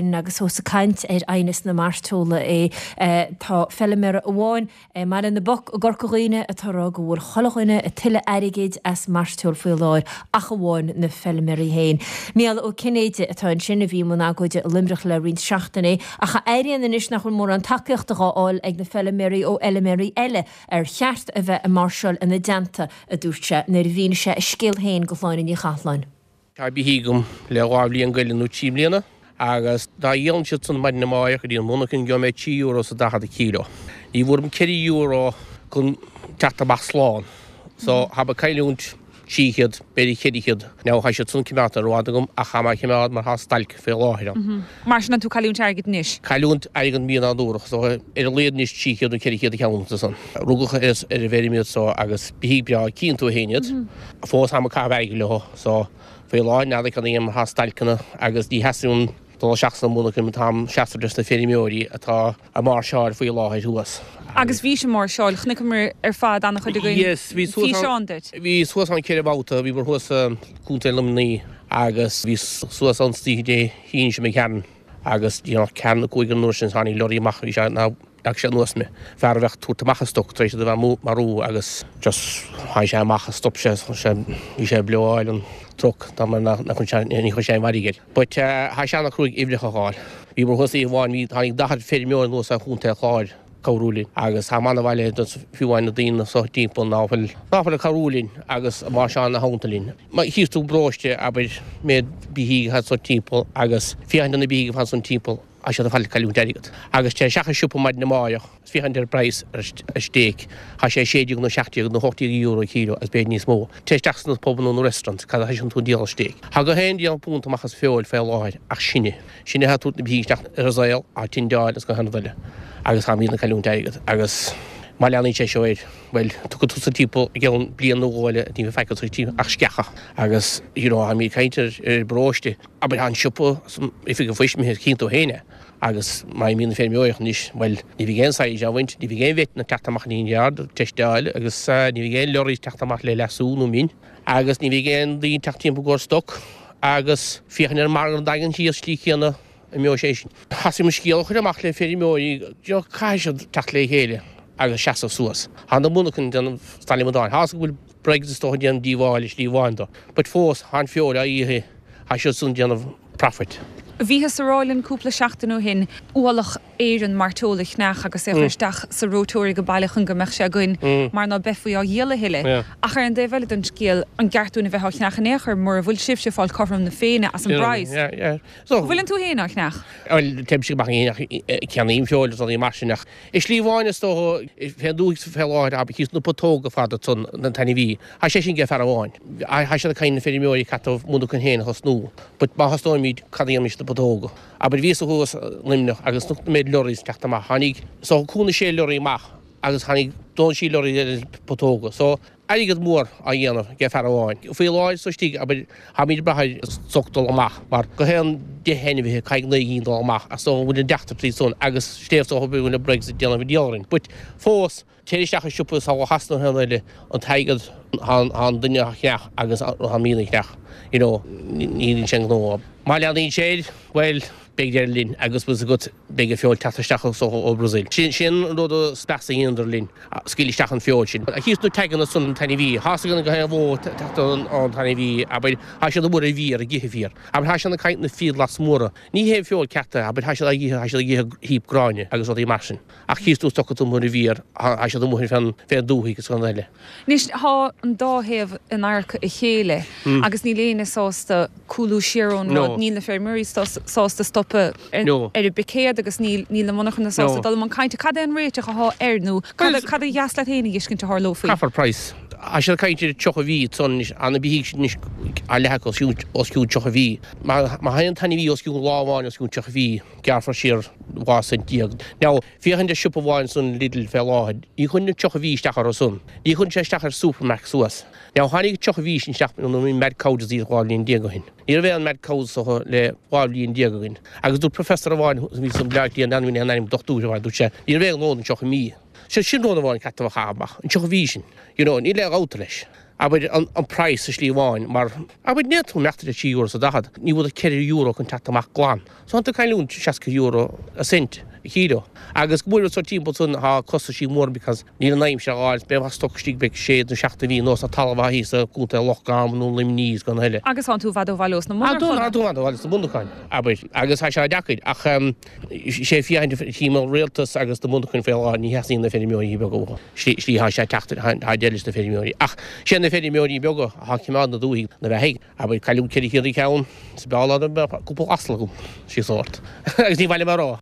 Agus ós ag caint ar aighneas na mairteola é, tá feilméara amháin i mBaile na bPoc i gCorca Dhuibhne atá ag rá go bhfuil chuile dhuine ag tuilleadh airgid as mairteoil faoi láthair ach amháin na feilméaraí féin. Mícheál Ó Cinnéide atá ansin a bhí i mbun agóide i Luimneach le roinnt seachtainí ach a airíonn anois nach bhfuil mórán tacaíochta dhá fháil ag na feilméaraí ó fheilméaraí eile ar cheart a bheith ag máirseáil ina dteannta, a dúirt sé nuair a mhínigh sé a scéal féin go Shláine Ní Chathalláin. Tá beithígh agam le 2 bhliain go leith nó 3 mbliana agus dá dhíolann siad san maidin amáireach go dtí an mhonarchain gheobhaidh mé 3 euro is a 40 an kíló. Ní bhfuair mé 4 euro chun teacht amach slán. So tá mé ag cailliúint 300, b'fhéidir 400. Now tá siad san coimeádta ar fhad agam ach tá mé á choimeád mar tá stailc fé láthair ann. Mar sin tá tú cailliúint airgid anois? Cailliúint airgid mí nádúrach so ar a laghad anois 300 nó 400 a cheann san. Rugadh ar an bhfeirm iad so agus beithígh breá cíonn tú féin iad. Fós táim ag caitheamh airgid leo. So, faoi láthair n'fheadar cad a dhéanfaidh mar tá stailceanna agus ní sheasaim dul isteach sna monarchana mar táim seasamh leis na feirmeoirí atá ag máirseáil faoi láthair thuas. Agus bhís ag máirseáil, chonaiceamar ar fad an-chuid againn Yes, bhí suas físeán duit. Bhí suas ann 4 bhabhta, bhíomar thuas i gContae Luimnigh agus bhí suas ann oíche Dé hAoine seo imigh tharainn agus díreach ceathrú na cúig an uair sin tháinig lorry amach, bhí sé ina Leag sé anuas mé. Fear a bheadh ag tabhairt amach an stoc tar éis iad a bheith marú agus just tháinig sé amach stop sé, bhí sé ag blow-áil an truck dá mba nach raibh sé, ní chuir sé aon mhairg air. But tá sé ana-chruaidh uimhreacha a fháil. Bhíomar thuas oíche amháin, bhí, tháinig 40 feirmeoir anuas ó Chontae an Chláir cabhrú linn agus tá ana bhaile fiú amháin na daoine so timpeall ná fuil, ná fuil ag cabhrú linn agus máirseáil ina theannta linn. Má chíos tú paróiste, abair, méid beithígh atá ansan timpeall agus féachaint ar na beithígh atá ansan timpeall, Tá siad ar fad ag cailliúint airgead. Agus téir isteach i siopa maidin amáireach is féachaint ar an bpraghas ar an stéic, tá sé 16 nó 17 nó 18 euro an kíló agus b'fhéidir níos mó. Téir isteach sna pubanna nó restaurants, cad a thoiseann tú ag díol an stéic? Tá gach aon déanamh punt amach as feoil fé láthair ach sinne. Sinne atá ag tabhairt na beithígh isteach ar an saol, á tindeáil agus gach aon rud eile. Agus táimid ag cailliúint airgead. Agus má leanann sé seo air, bhuel, tiocfaidh tusa timpeall i gceann bliain nó dhó eile, ní bheidh faic agat ach sceacha. Agus, you know, táimid ag caint ar an bparóiste. Abair, tá an siopa san oifig an phoist imithe, cíonn tú féin é. Agus má imíonn na feirmeoirí anois, bhuel, ní bheidh aon saighead á bhaint, ní bheidh aon vet ag teacht amach an yard ag teisteáil agus ní bheidh aon lorries ag teacht amach le leasú nó min agus ní bheidh aon daoine ag teacht timpeall i gcomhair stoc agus féachaint ar an margadh an Daingean thíos slí chéanna imeoidh sé sin. Thosaigh mo scéal a chur amach le feirmeoirí, you know, caithfidh siad teacht le chéile agus seasamh suas. Tá na monarchana ag déanamh stailc amadáin. Tá a fhios go bhfuil Brexit is dócha ag déanamh díobháil i slí amháin dó. But fós, tá an feoil á ithe, tá siad san ag déanamh profit. Bhíothas ag rá linn cúpla seachtain ó shin ualach Éireann mairteola a cheannach agus é a chur isteach sa reoiteoir ag baile chun go mbeadh sé againn mar ná beifí á dhíol a thuilleadh. Ach ar an dtaobh eile den scéal, an gceart dúinn a bheith á cheannach in aon chor mura bhfuil sibhse ag fáil cothrom na Féinne as an bpraghas? An bhfuileann tú féin á cheannach? Bhuel, téimse amach ach ceannaím feoil is rudaí mar sin ach I slí amháin is dócha, fén dtuaith fé láthair, abair, thíos na putóga fada ansan an t-ainmhí. Tá sé sin ag fear amháin. Tá siad ag caint na feirmeoirí caithfidh monarcha féin a thosnú. But má thosnóimid, cad a dhéanfaimis na putóga? Abair, bhíos thuas i Luimneach agus chonaic an méid lorries ag teacht amach. Tháinig, so cúig nó sé lorry amach agus tháinig dó nó trí lorry eile putóga. So, airgead mór á dhéanamh ag fear amháin. Faoi láthair so istigh, abair, táimid ag brath ar stoc dul amach mar gach aon 10 ainmhithe caithfidh 9 gcinn dul amach ach so bhfuil an deacrachtaí san agus sléibh so go bhfuil an Brexit déanamh an diabhal orainn. But fós, téir isteach i siopa is ó Shasana nó aon eile, an t-airgead, tá an duine á cheannach agus tá mian á cheannach, you know, ní hionann sin gnó. Má leanaíonn sé air, bhuel, beidh deireadh linn agus bhfuil 's agat, beidh an feoil teacht isteach ó Brazil. Sin an rud is measa a dheineadar linn, scaoil isteach an feoil sin. Thíos na taganna san an t-ainmhí, tá 's againn gach aon bhó teacht ón t-ainmhí, abair, tá siad amuigh ar an bhféar ag ithe féar. Abair, tá siad ag caint na fiadhglas móra. Ní hé an feoil ceart é, abair, tá siad ag ithe, tá siad ag ithe heap gráinne agus rudaí mar sin. Ach thíos tú stoca tú amuigh ar an bhféar, tá siad amuigh fén dtuathaigh agus gan eile. Anois, tá an dá thaobh in adharca a chéile agus níl éinne sásta cúlú siar ón rud, níl na feirmeoirí sásta stopadh ar an bpicéad agus níl na monarchana sásta dul i mbun cainte. Cad é an réiteach athá air nó cad ba dheas leat féin a dh'fheiscint a tharlófaí? Caithfear praghas. Tá siad ag caint ar 30 mhí ansan anois, tá na beithígh sin anois a leath acu os cionn 30 mhí. Má théann an t-ainmhí os cionn lá amháin os cionn 30 mhí, gearrfar siar 12 cent. Now, féachaint ar siopa amháin san Lidl fé láthair, ní chuireann an 30 mhí isteach orthu san. Ní chuireann sé isteach ar Supermac suas. Now tháinig 30 mhí sin isteach nuair a bhí mad cow disease 12 bhliain ó shin. Ní raibh aon mad cow so le 12 bhliain againn. Agus dúirt professor amháin a bhí san Bleá Cliath, n'fheadar an ainm dochtúir amháin, dúirt sé, ní raibh aon ghnó don 30 mí. So sin rud amháin caithfidh a chaitheamh amach, an 30 mhí sin. You know, níl aon ghabhta leis. Abair, an praghas i slí amháin, mar, abair, ní fhéadfá imeacht ar €3 is a 40, ní bhfuil ach €4 chun teacht amach glan. So tá tú ag cailliúint €60 a cent a chíleo. Agus go bhfuil so timpeall san tá costaisí mór because níl an aimsir á fháil, beidh stoc istigh beidh sé nó seacht de mhí anuas tá talamh á thíos i gContae Loch Garman nó Luimní is gan a thuilleadh. Agus tánn tú i bhfad ó bhaile ós na monarchana. Tá tú i bhfad ó bhaile sna monarcháin, abair, agus tá sé deacair ach sé féachaint chím an rialtas agus na monarchain faoi láthair ní theastaíonn na feirmeoirí beaga uathu. Slí tá sé ag teacht tá deireadh leis na feirmeoirí ach sé na feirmeoirí beaga atá ag coimeád na dúthaigh na beathaigh. Abair, cailliúint 400 ceann, is b'fhearr dá mbeadh cúpla asal agam, síos ort. Agus ní mhaith liom a rá.